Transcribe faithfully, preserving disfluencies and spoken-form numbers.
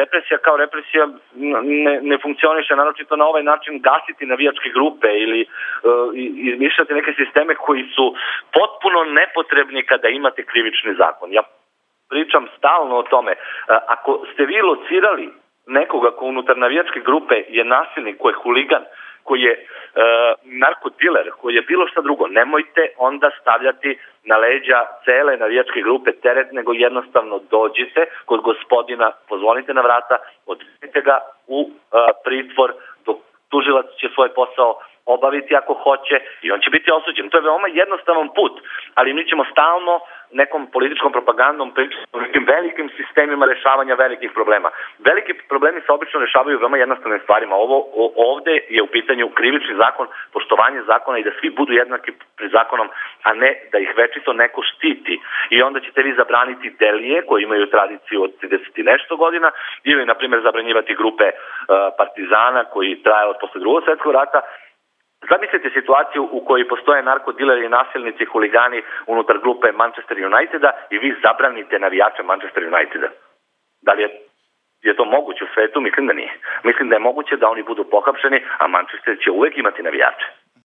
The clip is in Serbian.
represija kao represija ne, ne funkcioniše, naročito na ovaj način gasiti navijačke grupe ili uh, izmišljati neke sisteme koji su potpuno nepotrebni kada imate krivični zakon. Ja pričam stalno o tome. Uh, ako ste vi locirali nekoga ko unutar navijačke grupe je nasilnik, ko je huligan, koji je uh, narkodiler, koji je bilo šta drugo, nemojte onda stavljati na leđa cele navijačke grupe teret, nego jednostavno dođite kod gospodina, pozvonite na vrata, odvedite ga u uh, pritvor, dok tužilac će svoj posao obaviti ako hoće i on će biti osuđen. To je veoma jednostavan put, ali mi ćemo stalno nekom političkom propagandom pričati o nekim velikim sistemima rešavanja velikih problema. Veliki problemi se obično rešavaju veoma jednostavnim stvarima. Ovo ovde je u pitanju krivični zakon, poštovanje zakona i da svi budu jednaki pred zakonom, a ne da ih večito neko štiti. I onda ćete vi zabraniti delije koji imaju tradiciju od trideset i nešto godina ili, na primjer, zabranjivati grupe uh, partizana koji traje od posle drugog svetskog rata. Zamislite situaciju u kojoj postoje narkodileri i nasilnici, huligani unutar grupe Manchester Uniteda i vi zabranite navijače Manchester Uniteda. Da li je, je to moguće u svetu? Mislim da nije. Mislim da je moguće da oni budu pohapšeni, a Manchester će uvek imati navijače.